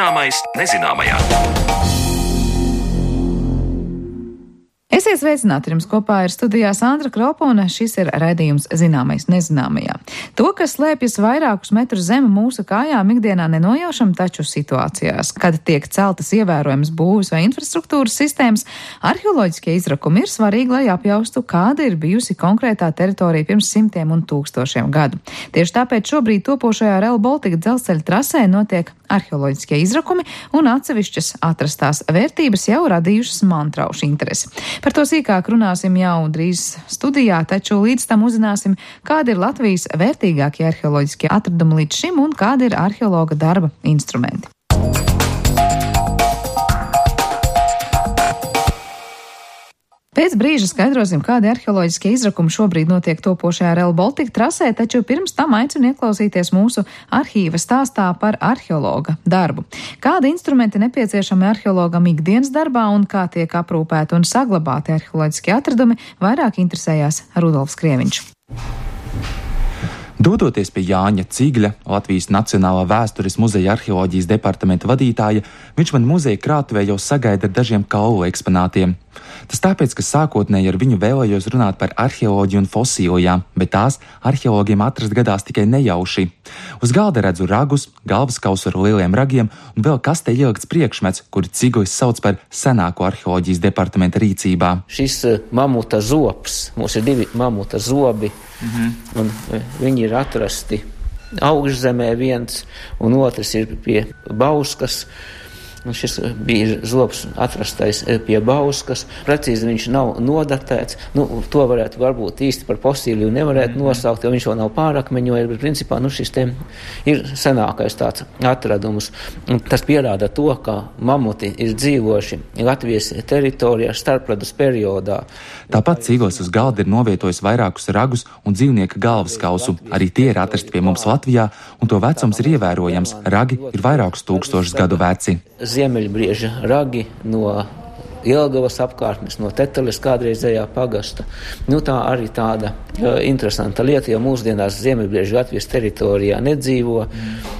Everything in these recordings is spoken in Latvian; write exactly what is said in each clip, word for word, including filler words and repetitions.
Zināmais nezināmajā. Esiet sveicināti, jums kopā ir studijā Sandra Kropa, un šis ir raidījums Zināmais nezināmajā. To, kas slēpjas vairākus metrus zem mūsu kājām, ikdienā nenojaušam, taču situācijās, kad tiek celtas ievērojamas būvs vai infrastruktūras sistēmas, arheoloģiskie izrakumi ir svarīgi, lai apjaustu, kāda ir bijusi konkrētā teritorija pirms simtiem un tūkstošiem gadu. Tieši tāpēc šobrīd topošajā Rail Baltica dzelzceļa trasē notiek arheoloģiskie izrakumi, un atsevišķas atrastās vērtības jau radījušas mantraušu interesi. Par to sīkāk runāsim jau drīz studijā, taču līdz tam uzzināsim, kādi ir Latvijas vērtīgākie arheoloģiskie atradumi līdz šim un kādi ir arheologa darba instrumenti. Pēc brīža skaidrosim, kādi arheoloģiskie izrakumi šobrīd notiek topošajā Rail Baltica trasē, taču pirms tam aicinu ieklausīties mūsu arhīva stāstā par arheologa darbu. Kādi instrumenti nepieciešami arheologam ikdienas darbā un kā tiek aprūpēti un saglabāti arheoloģiskie atradumi, vairāk interesējās Rudolfs Krieviņš. Dodoties pie Jāņa Cigļa, Latvijas Nacionālā vēstures muzeja arheoloģijas departamenta vadītāja, viņš man muzeja krātuvē jau sagaida ar dažiem kaulu eksponātiem. Tas tāpēc, ka sākotnēji ar viņu vēlējos runāt par arheoloģiju un fosilijām, bet tās arheologiem atrast gadās tikai nejauši. Uz galda redzu ragus, galvaskausu ar lieliem ragiem un vēl kastē ielikts priekšmets, kuru Ciglis sauc par senāko arheoloģijas departamenta rīcībā. Šis mamuta zobs, mums ir divi mamuta zobi, mhm. un viņi ir atrasti augšzemē viens, un otrs ir pie Bauskas. Un šis bija zobs atrastais pie Bauskas. Precīzi viņš nav nodatēts. Nu, to varētu varbūt īsti par fosīliju nevarētu nosaukt, jo viņš vēl nav pārakmeņojis, bet principā nu, šis te ir senākais tāds atradums. Un tas pierāda to, ka mamuti ir dzīvojuši Latvijas teritorijā starpledus periodā. Tāpat Ciglis uz galda ir novietojis vairākus ragus un dzīvnieka galvaskausu. Arī tie ir atrasti pie mums Latvijā, un to vecums ir ievērojams. Ragi ir vairākus tūkstošus gadu veci. Ziemeļbrieža ragi no Jelgavas apkārtnes, no Teteles kādreizējā pagasta. Nu, tā arī tāda uh, interesanta lieta, jo mūsdienās Ziemeļbrieža Latvijas teritorijā nedzīvo. Mm.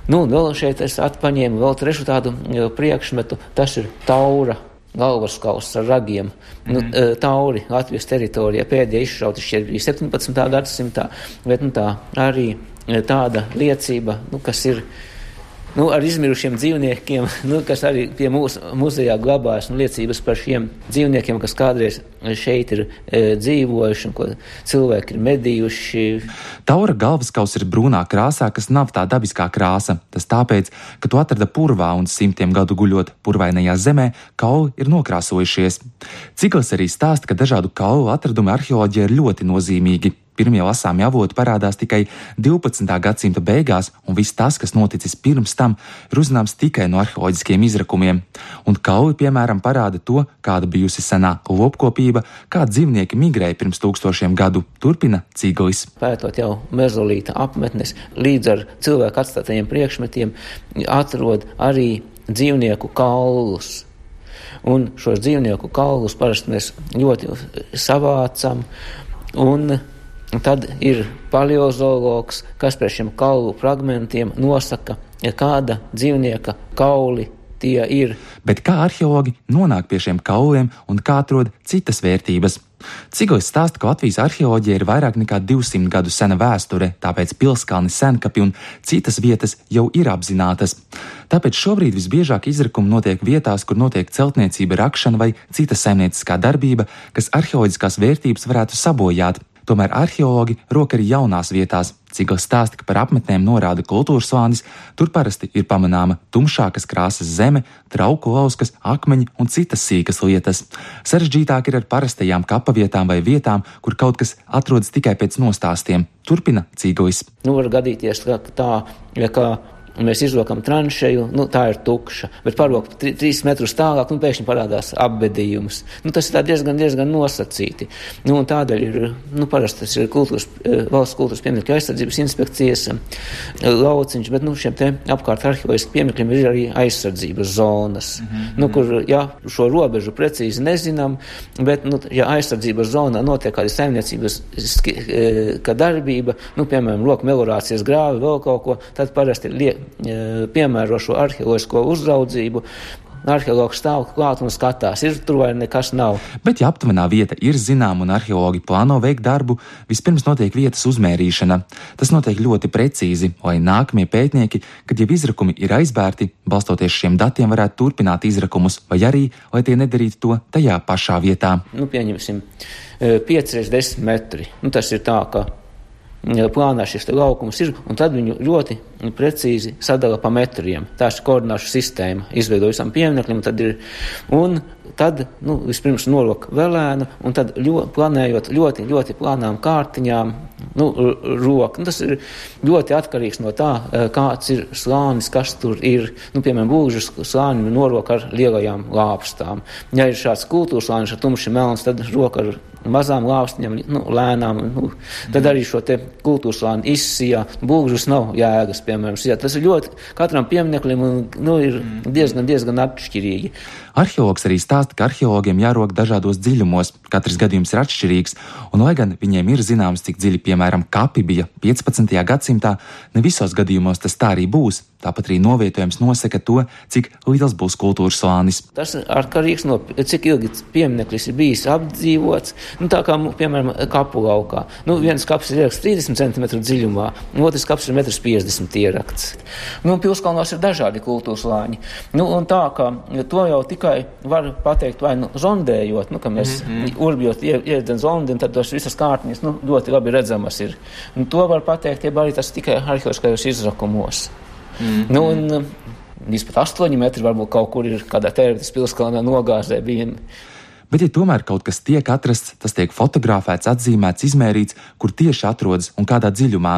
Nu, vēl šeit es atpaņēmu vēl trešu tādu uh, priekšmetu, tas ir taura galvaskauss ar ragiem. Mm. Nu, uh, tauri Latvijas teritorijā pēdējā izšauti šķiet bija septiņpadsmitā gadsimtā, bet nu, tā arī tāda liecība, nu, kas ir Nu, ar izmirušiem dzīvniekiem, nu, kas arī pie mūsu muzejā glabājas, nu, liecības par šiem dzīvniekiem, kas kādreiz šeit ir e, dzīvojuši un ko cilvēki ir medījuši. Taura galvaskaus ir brūnā krāsā, kas nav tā dabiskā krāsa. Tas tāpēc, ka to atrada purvā un simtiem gadu guļot purvainajā zemē, kauli ir nokrāsojušies. Ciglis arī stāsta, ka dažādu kaulu atradumi arheoloģijā ir ļoti nozīmīgi. Pirmie lasāmi avoti parādās tikai divpadsmitā gadsimta beigās, un viss tas, kas noticis pirms tam, ir uzzināms tikai no arheoloģiskiem izrakumiem. Un kauli, piemēram, parāda to, kāda bijusi senā lopkopība, kā dzīvnieki migrēja pirms tūkstošiem gadu, turpina Ciglis. Pētot jau mezolīta apmetnes, līdz ar cilvēku atstātajiem priekšmetiem atrod arī dzīvnieku kaulus. Un šos dzīvnieku kaulus parasti mēs ļoti savācam, un tad ir paleozoologs, kas pēc šiem kaulu fragmentiem nosaka, kāda dzīvnieka kauli tie ir. Bet kā arheologi nonāk pie šiem kauliem un kā atrod citas vērtības? Ciglis stāsta, ka Latvijas arheoloģija ir vairāk nekā divsimt gadu sena vēsture, tāpēc pilskalni, senkapi un citas vietas jau ir apzinātas. Tāpēc šobrīd visbiežāk izrakumi notiek vietās, kur notiek celtniecība, rakšana vai cita saimnieciskā darbība, kas arheoloģiskās vērtības varētu sabojāt. Tomēr arheologi rok arī jaunās vietās. Ciglis stāsta, ka par apmetnēm norāda kultūras slānis, tur parasti ir pamanāma tumšākas krāsas zeme, trauku lauskas, akmeņi un citas sīkas lietas. Sarežģītāk ir ar parastajām kapavietām vai vietām, kur kaut kas atrodas tikai pēc nostāstiem. Turpina Ciglis. Nu, var gadīties, ka tā, ja kā mēs izrokam tranšeju, nu, tā ir tukša, bet parok tri, trīs metrus tālāk, nu, pēkšņi parādās apbedījums. Nu, tas ir tā diezgan, diezgan nosacīti. Nu, un tādēļ ir, nu, parasti tas ir kultūras, valsts kultūras pieminekļu aizsardzības inspekcijas lauciņš, bet, nu, šiem te apkārt arheoloģiski pieminekļiem ir arī aizsardzības zonas, mm-hmm. nu, kur, jā, šo robežu precīzi nezinām, bet, nu, ja aizsardzības zonā notiek kāda saimniecības kā darbība, nu, piemēram, loku melorācijas grāvi, vēl kaut ko, tad parasti liek piemēro šo arheoloģisko uzraudzību. Arheologs stāv klāt un skatās, ir tur vai nekas nav. Bet, ja aptuvenā vieta ir zināma un arheologi plāno veikt darbu, vispirms notiek vietas uzmērīšana. Tas notiek ļoti precīzi, lai nākamie pētnieki, kad jau izrakumi ir aizbērti, balstoties šiem datiem varētu turpināt izrakumus, vai arī, lai tie nedarītu to tajā pašā vietā. Nu, pieņemsim, pieci reiz desmit metri. Nu, tas ir tā, ka plānā šis laukums ir, un tad viņu ļoti precīzi sadala pa metriem. Tā ir koordināšu sistēma, izveido visam piemineklim, tad ir, un tad, nu, vispirms norok velēnu, un tad ļo, planējot ļoti, ļoti plānām kārtiņām, nu, roku. Nu, tas ir ļoti atkarīgs no tā, kāds ir slānis, kas tur ir. Nu, piemēram, būžas slāni norok ar lielajām lāpstām. Ja ir šāds kultūras slānis ar tumši melns, tad roka ar mazām lāpstiņām, nu, lēnām, nu, tad arī šo te kultūras slāni izsijā. Būžas nav jēgas, piemēram, sijā. Tas ir ļoti katram piemineklim, nu, ir diezgan, diezgan atšķirīgi. Arheologs arī stāsta, ka arheologiem jārok dažādos dziļumos, katrs gadījums ir atšķirīgs, un lai gan viņiem ir zināms, cik dziļi, piemēram, kapi bija piecpadsmitajā gadsimtā, ne visos gadījumos tas tā arī būs. Tāpat arī novietojums nosaka to, cik liels būs kultūras slānis. Tas ir atkarīgs no, cik ilgi piemineklis ir bijis apdzīvots, nu, tā kā, piemēram, kapu laukā. Nu, viens kaps ir ierakts trīsdesmit centimetru dziļumā, otrs kaps ir metrs piecdesmit ierakts. Nu, Pilskalnos ir dažādi kultūras slāņi. Nu, un tā, ka to jau tikai var pateikt vai nu zondējot, nu, ka mēs mm-hmm. urbjot iedzen zondi, un tad tos visas kārtiņas, nu, ļoti labi redzamas ir. Un to var pateikt, ja arī tas tikai arheoloģiskajos izrakumos. Mm-hmm. Nu, un līdz pat astoņi metri varbūt kaut kur ir kādā Tērvetes Pilskalnā nogāzē bija. Bet, ja tomēr kaut kas tiek atrasts, tas tiek fotografēts, atzīmēts, izmērīts, kur tieši atrodas un kādā dziļumā.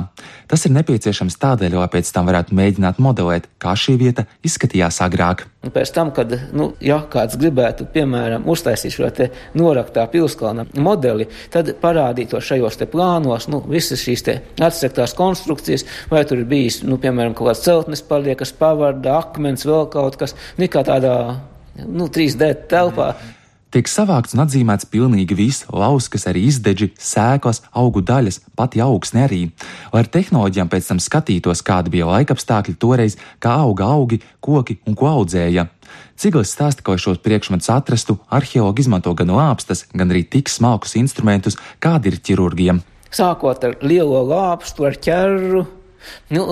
Tas ir nepieciešams tādēļ, lai pēc tam varētu mēģināt modelēt, kā šī vieta izskatījās agrāk. Un pēc tam, kad, nu, ja kāds gribētu, piemēram, uztaisīt šo te noraktā Pilskalna modeli, tad parādīto šajos te plānos, nu, visas šīs te atsektās konstrukcijas, vai tur ir bijis, nu, piemēram, kaut kāds celtnes paliekas, pavarda, akmens, vēl kaut kas, nekā tādā, nu, trīs D telpā. Tiek savākts un atzīmēts pilnīgi viss, lauskas, arī izdeģi, sēklas, augu daļas, pati augsne arī. Lai ar tehnoloģijām pēc tam skatītos, kādi bija laikapstākļi toreiz, kā auga augi, koki un ko audzēja. Ciglis stāsta, ka, lai šos priekšmetus atrastu, arheologi izmanto gan lāpstas, gan arī tik smalkus instrumentus, kādi ir ķirurgiem. Sākot ar lielo lāpstu, ar ķerru, nu,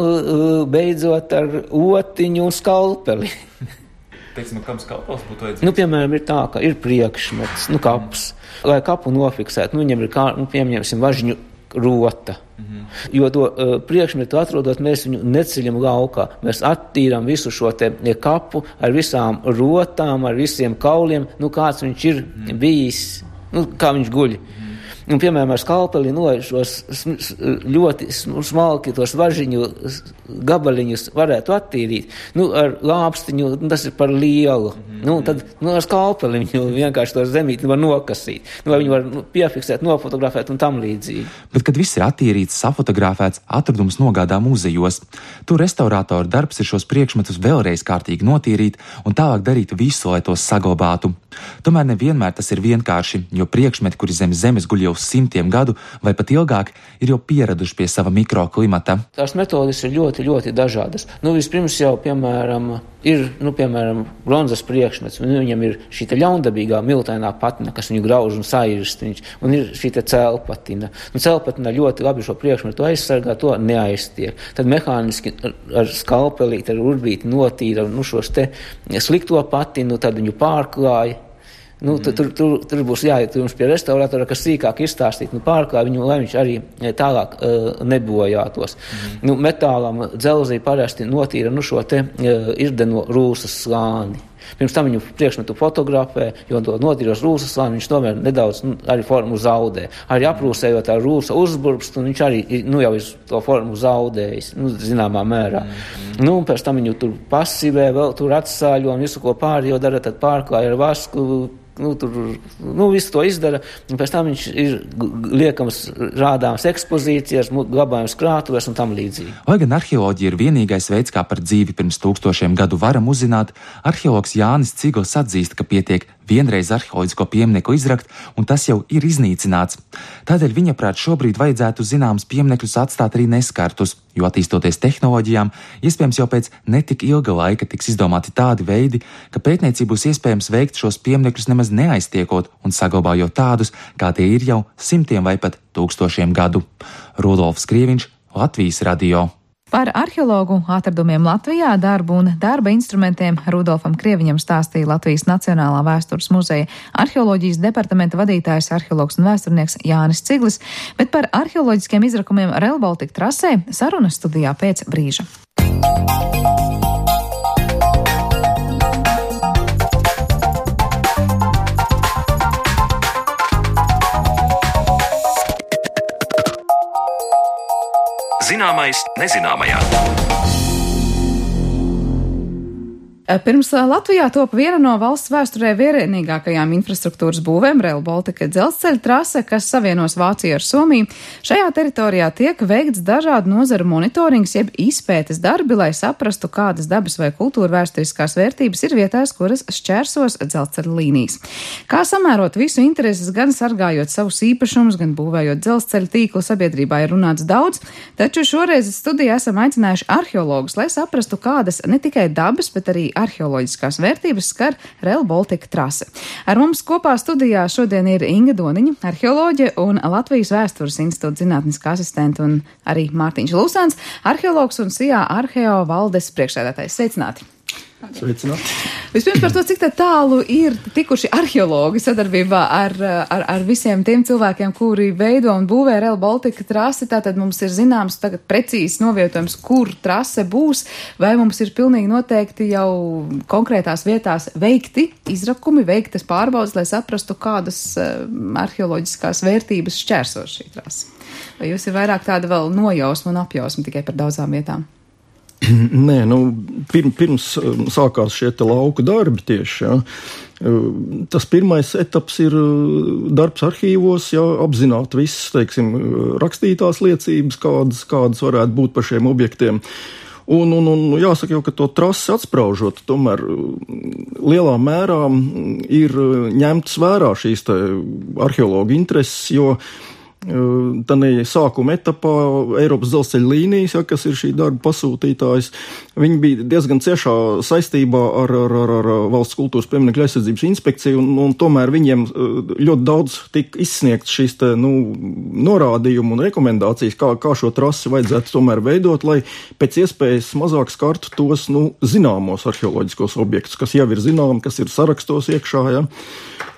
beidzot ar otiņu un skalpeli. Teiksim, kam skalpels būtu vajadzīgs? Nu, piemēram, ir tā, ka ir priekšmets, nu, kaps. Lai kapu nofiksētu, nu, viņam ir, kā, nu, piemēram, važņu rota. Mm-hmm. Jo to uh, priekšmetu atrodot, mēs viņu neceļam laukā. Mēs attīram visu šo te kapu ar visām rotām, ar visiem kauliem, nu, kāds viņš ir mm-hmm. bijis, nu, kā viņš guļ. Mm-hmm. Un, piemēram, ar skalpeli, nu, šos ļoti smalki tos važiņu gabaliņus varētu attīrīt. Nu, ar lāpstiņu, tas ir par lielu. Mm-hmm. Nu, tad, nu, ar skalpeli viņu vienkārši to zemīti var nokasīt. Nu, vai viņu var nu, piefiksēt, nofotografēt un tam līdzīgi. Bet, kad viss ir attīrīts, safotografēts, atradums nogādā muzejos. Tur restaurātoru darbs ir šos priekšmetus vēlreiz kārtīgi notīrīt un tālāk darīt visu, lai tos saglabātu. Tomēr nevienmēr tas ir vienkārši, jo priekšmeti, kuri zem zemes guļ jau simtiem gadu vai pat ilgāk, ir jau pieraduši pie sava mikroklimata. Tās metodes ir ļoti, ļoti dažādas. Nu, vispirms jau, piemēram, ir, nu, piemēram, bronzas priekšmets, un viņam ir šī te ļaundabīgā miltainā patina, kas viņu grauž un sairst, un ir šī te cēlpatina. Un cēlpatina ļoti labi šo priekšmetu aizsargā, to neaiztiek. Tad mehāniski ar skalpelīti, ar urbīti notīra, nu, šos te slikto patinu, tad viņu pārklāja. Nu, tur, tur, tur, tur būs jāiet jums pie restauratora, kas sīkāk izstāstīt, nu, pārklāj viņu, lai viņš arī tālāk uh, nebojātos. Mm. Nu, metālam dzelzī parasti notīra, nu, šo te uh, irdeno rūsas slāni. Pirms tam viņu priekšmetu fotografē, jo to notīros rūsas slāni, viņš tomēr nedaudz, nu, arī formu zaudē. Arī aprūsējot ar rūsa uzburbst, un viņš arī, nu, jau ir to formu zaudējis, nu, zināmā mērā. Mm. Nu, un pēc tam viņu tur pasivē, vēl tur atsāļo un visu, ko pārējo dara, tad pārklāja ar vasku. Nu, tur, nu, visu to izdara, un pēc tam viņš ir liekams rādāms ekspozīcijas, glabājums krātuvēs un tam līdzīgi. Lai gan arheoloģija ir vienīgais veids, kā par dzīvi pirms tūkstošiem gadu varam uzzināt, arheologs Jānis Ciglis atzīst, ka pietiek vienreiz arheoloģisko pieminieku izrakt, un tas jau ir iznīcināts. Tādēļ viņa prāt šobrīd vajadzētu zināms pieminekļus atstāt arī neskartus, jo attīstoties tehnoloģijām, iespējams jau pēc netik ilga laika tiks izdomāti tādi veidi, ka pētniecību būs iespējams veikt šos pieminekļus nemaz neaiztiekot un saglabājot tādus, kā tie ir jau simtiem vai pat tūkstošiem gadu. Rudolfs Krieviņš, Latvijas radio. Par arheologu atradumiem Latvijā, darbu un darba instrumentiem Rudolfam Krieviņam stāstīja Latvijas Nacionālā vēstures muzeja arheoloģijas departamenta vadītājs, arheologs un vēsturnieks Jānis Ciglis, bet par arheoloģiskiem izrakumiem Rail Baltica trasē sarunas studijā pēc brīža. Zināmais nezināmajā. Pirms Latvijā top viena no valsts vēsturē vienīgākajām infrastruktūras būvēm Rail Baltica dzelzceļa trase, kas savienos Vāciju ar Somiju. Šajā teritorijā tiek veikts dažādu nozaru monitorings, jeb izpētes darbi, lai saprastu, kādas dabas vai kultūra vēsturiskās vērtības ir vietās, kuras šķērsos dzelzceļa līnijas. Kā samērot visu intereses, gan sargājot savus īpašumus, gan būvējot dzelzceļa tīklu, sabiedrībā ir runāts daudz, taču šoreiz studijā esam aicinājuši arheologus, lai saprastu, kādas ne tikai dabas, bet arī arheoloģiskās vērtības skar Rail Baltica trase. Ar mums kopā studijā šodien ir Inga Doniņa, arheoloģe un Latvijas Vēstures institūta zinātniskā asistente, un arī Mārtiņš Lūsāns, arheologs un S I A Arheo valdes priekšsēdētājs. Sveicināti! Sveicināti. Vispirms par to, cik tā tālu ir tikuši arheologi sadarbībā ar, ar, ar visiem tiem cilvēkiem, kuri veido un būvē Rail Baltica trasi. Tātad mums ir zināms tagad precīzi novietojums, kur trase būs, vai mums ir pilnīgi noteikti jau konkrētās vietās veikti izrakumi, veiktas pārbaudas, lai saprastu, kādas uh, arheoloģiskās vērtības šķērsos šī trase. Vai jūs ir vairāk tāda vēl nojausma un apjausma tikai par daudzām vietām? Nē, nu, pirms, pirms sākās šie te lauku darbi tieši, jā. Tas pirmais etaps ir darbs arhīvos, jā, apzināt visas, teiksim, rakstītās liecības, kādas, kādas varētu būt par šiem objektiem. Un, un, un jāsaka jau, ka to trasi atspraužot, tomēr lielā mērā ir ņemtas vērā šīs te arheologu intereses, jo Tanī sākuma etapā Eiropas dzelzceļa līnijas, ja, kas ir šī darba pasūtītājs, viņi bija diezgan ciešā saistībā ar, ar, ar, ar Valsts kultūras pieminekļu aizsardzības inspekciju, un, un tomēr viņiem ļoti daudz tika izsniegts šīs te, nu, norādījumu un rekomendācijas, kā, kā šo trasi vajadzētu tomēr veidot, lai pēc iespējas mazāk skartu tos, nu, zināmos arheoloģiskos objektus, kas jau ir zināmi, kas ir sarakstos iekšā, ja.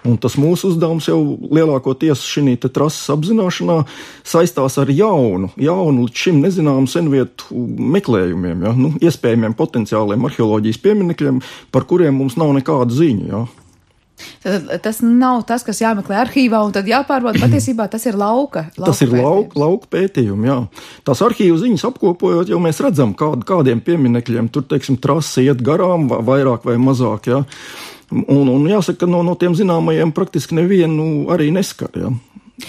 Un tas mūsu uzdevums jau lielākoties šī te trases apzināšanā saistās ar jaunu, jaunu līdz šim nezināmu senvietu meklējumiem, ja? Nu, iespējamiem potenciāliem arheoloģijas pieminekļiem, par kuriem mums nav nekāda ziņa. Ja? Tad, tas nav tas, kas jāmeklē arhīvā un tad jāpārbauda. Patiesībā tas ir lauka. lauka tas ir lauka, lauka pētījumi, jā. Tās arhīvu ziņas apkopojot, jau mēs redzam, kād, kādiem pieminekļiem tur, teiksim, trase iet garām, vairāk vai mazāk, jā. Un, un jāsaka, ka no, no tiem zināmajiem praktiski nevienu arī neskar, jā.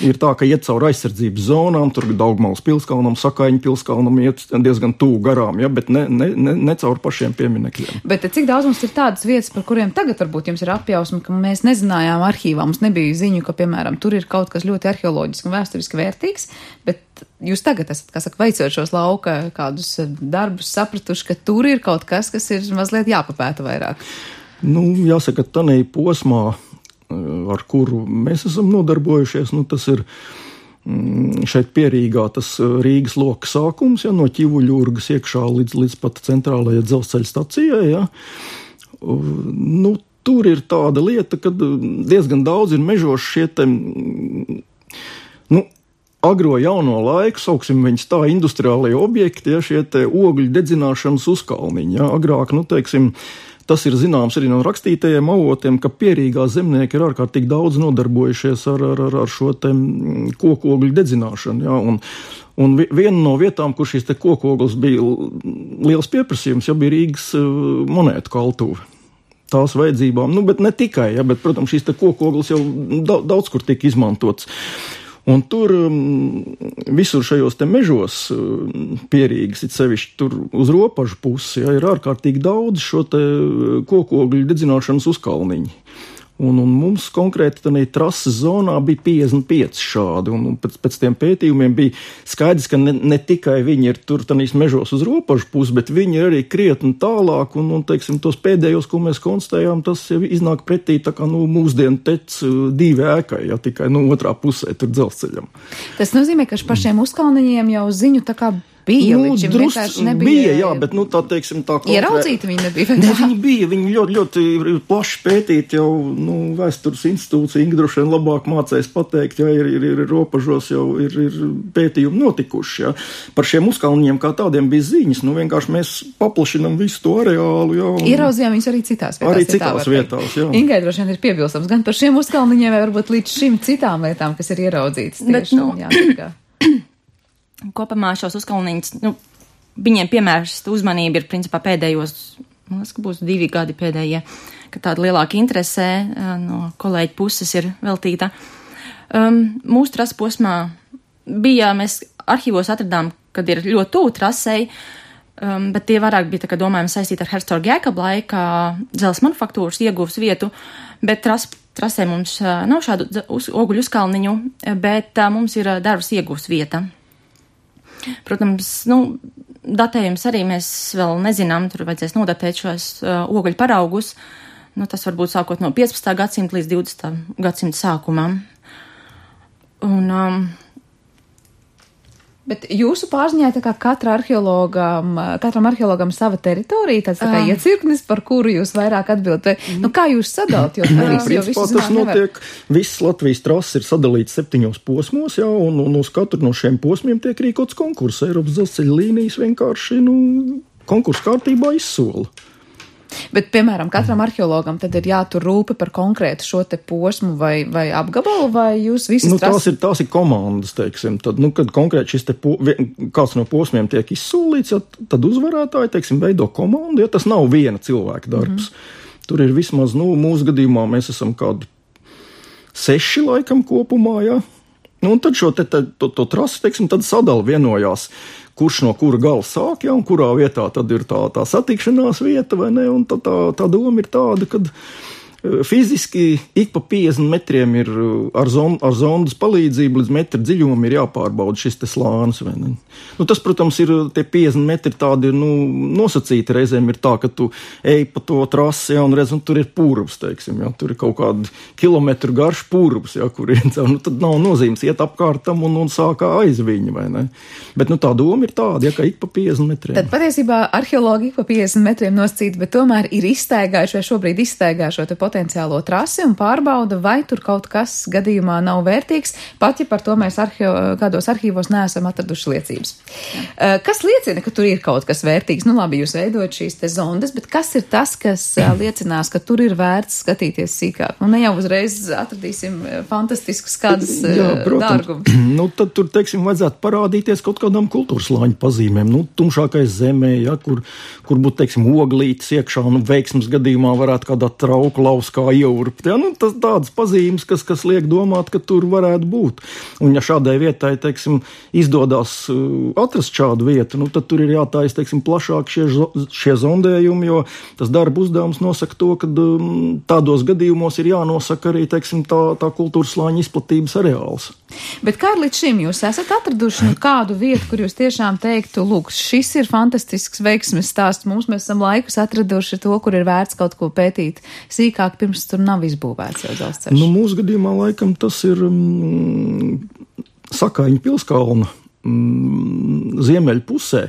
Ir tā, ka iet caur aizsardzības zonām, tur Daugmales pilskalnam, Sakaiņu pilskalnam iet diezgan tuvu garām, ja, bet ne, ne, ne, ne caur pašiem pieminekļiem. Bet cik daudz mums ir tādas vietas, par kuriem tagad varbūt jums ir apjausma, ka mēs nezinājām arhīvā, mums nebija ziņu, ka, piemēram, tur ir kaut kas ļoti arheoloģiski un vēsturiski vērtīgs, bet jūs tagad esat, kā saka, veicot šos lauka kādus darbus, sapratuši, ka tur ir kaut kas, kas ir mazliet jāpapēta vairāk. Nu, jāsaka, tanī posmā, ar kuru mēs esam nodarbojušies, nu, tas ir šeit Pierīgā tas Rīgas loka sākums, ja, no Ķivuļurgas iekšā līdz, līdz pat centrālajai dzelzceļa stacijai, ja. Nu, tur ir tāda lieta, ka diezgan daudz ir mežoši šie te, nu, agro jauno laiku, sauksim viņus tā, industriālie objekti, ja, šie te ogļu dedzināšanas uzkalniņi, ja. Agrāk, nu, teiksim, tas ir zināms arī no rakstītajiem avotiem, ka Pierīgā zemnieki ir ārkārtīgi daudz nodarbojušies ar, ar, ar, ar šo te kokogļu dedzināšanu. Ja? Un, un viena no vietām, kur šīs te kokogļas bija liels pieprasījums, ja, bija Rīgas monētu kaltuve. Tās vajadzībām, nu, bet ne tikai, ja, bet, protams, šīs te kokogļas jau daudz, daudz kur tika izmantots. Un tur visur šajos te mežos Pierīgas, it sevišķi tur uz ropažu pusi, ja, ir ārkārtīgi daudz šo te kokogļu dedzināšanas uzkalniņi. Un, un mums konkrēti tādā trases zonā bija piecdesmit pieci šādi, un, un pēc, pēc tiem pētījumiem bija skaidrs, ka ne, ne tikai viņi ir tur tanīs mežos uz robežu pusi, bet viņi ir arī krietni tālāk, un, un teiksim, tos pēdējos, ko mēs konstatējām, tas jau iznāk pretī tā kā, nu, mūsdienu tec divi ēkai, ja tikai, nu, otrā pusē tur dzelzceļam. Tas nozīmē, ka pašiem uzkalniņiem jau ziņu tā kā bija, nu, līdz šim vienkārši nebija. Bija, jā, bet, nu, tā, teiksim, tā konkrē... Ieraudzīti viņi nebija. Ne, viņi bija, viņi ļoti, ļoti plaši pētīt jau, nu, vēstures institūcija, Inga droši vien labāk mācēs pateikt, ja ir, ir, ir robežos jau ir, ir pētījumi notikuši, ja. Par šiem uzkalniņiem kā tādiem bija ziņas, nu, vienkārši mēs paplašinam visu to areālu, jā. Un... Ieraudzījām viņus arī citās vietās. Arī citās vietās, jā. Ingai droši vien ir piebilstams gan par šiem uzkalniņiem, vai varbūt līdz šim citām lietām, kas ir ieraudzītas. Bet, tieši, nu, jā, kopumā šos uzkalniņus, nu, viņiem piemērsta uzmanība ir principā pēdējos, man liekas, ka būs divi gadi pēdējie, ka tāda lielāka interese no kolēģi puses ir veltīta. Um, mūsu trases posmā bija, mēs arhīvos atradām, kad ir ļoti tuvu trasei, um, bet tie vairāk bija tā kā domājumi saistīti ar Herzoga Jēkaba laika dzelzs manufaktūras ieguvas vietu, bet tras, trasē mums uh, nav šādu uz, oguļu uzkalniņu, bet uh, mums ir uh, darbs ieguvas vieta. Protams, nu, datējums arī mēs vēl nezinām, tur vajadzēs nodatēt šos uh, oguļu paraugus. Nu, tas varbūt sākot no piecpadsmitā gadsimta līdz divdesmitā gadsimta sākumam. Un, um, Bet jūsu pārziņā tā kā katra arheologam, katram arheologam sava teritorija, tāds tā kā uh. iecirknis, par kuru jūs vairāk atbildat. Mm. Nu, kā jūs sadalt? Jo, Nē, principā tas notiek, viss Latvijas trases ir sadalīts septiņos posmos, jā, un, un uz katru no šiem posmiem tiek rīkots konkurss. Eiropas dzelzceļa līnijas vienkārši, nu, konkursu kārtībā izsola. Bet, piemēram, katram arheologam tad ir jātur rūpe par konkrētu šo te posmu vai, vai apgabalu, vai jūs visi nu, tras... tās, ir, tās ir komandas, teiksim. Tad, nu, kad konkrēti šis te po, kāds no posmiem tiek izsolīts, ja, tad uzvarētāji, teiksim, veido komandu, ja tas nav viena cilvēka darbs. Mm-hmm. Tur ir vismaz, nu, mūsu gadījumā mēs esam kādi seši laikam kopumā, ja. Nu, un tad šo te, te, to, to trasi, teiksim, tad sadala vienojās, kurš no kura gala sāk, ja, un kurā vietā tad ir tā, tā satikšanās vieta, vai ne, un tā, tā, tā doma ir tāda, kad fiziski ik pa piecdesmit metriem ir ar, zon, ar zondas palīdzību līdz metra dziļumam ir jāpārbauda šis te slānis, vai ne. Nu, tas, protams, ir tie piecdesmit metri tādi, nu, nosacīti reizēm ir tā, ka tu ej pa to trasi, ja, un redz, un tur ir purvs, teiksim, ja, tur ir kaut kādi kilometru garš purvs, ja, kur ir, nu, tad nav nozīmes iet apkārtam un, un sākā aiz viņa, vai ne. Bet, nu, tā doma ir tāda, ja, ka ik pa piecdesmit metriem. Tad patiesībā arheologi ik pa piecdesmit metriem nosacīti, bet tomēr ir izstaigājuši vai šobrīd izstaigājuši šo te potenciālo trasi un pārbauda, vai tur kaut kas gadījumā nav vērtīgs, pat ja par to mēs arheo, kādos arhīvos neesam atraduši liecības. Uh, kas liecina, ka tur ir kaut kas vērtīgs? Nu labi, jūs veidojat šīs te zondas, bet kas ir tas, kas uh, liecinās, ka tur ir vērts skatīties sīkāk? Nu ne jau uzreiz atradīsim fantastiskus kādus uh, dārgumus. Nu tad tur, teiksim, vajadzētu parādīties kaut kādām kultūras slāņu pazīmēm. Nu, tumšākais zemē, ja, kur, kur būtu, teiksim, oglītes iekšā, nu, veiksmes gadījumā varētu kādā trauku lauskā ieurpt. Ja, nu, tas tādas pazīmes, kas, kas liek domāt, ka tur varētu būt. Un ja šādai vietai, teiksim, izdodās uh, atrast šādu vietu, nu, tad tur ir jātājas, teiksim, plašāk šie, šie zondējumi, jo tas darba uzdevums nosaka to, ka um, tādos gadījumos ir jānosaka arī, teiksim, tā, tā kultūras slāņa izplatības areāls. Bet kā līdz šim jūs esat atraduši nu, kādu vietu, kur jūs tiešām teiktu, lūk, šis ir fantastisks veiksmes stāsts, mums mēs esam laikus atraduši to, kur ir vērts kaut ko pētīt sīkāk, pirms tur nav izbūvēts jau dzelzceļš? Nu, mūsu gadījumā laikam tas ir mm, Sakaiņu pilskalna mm, ziemeļu pusē,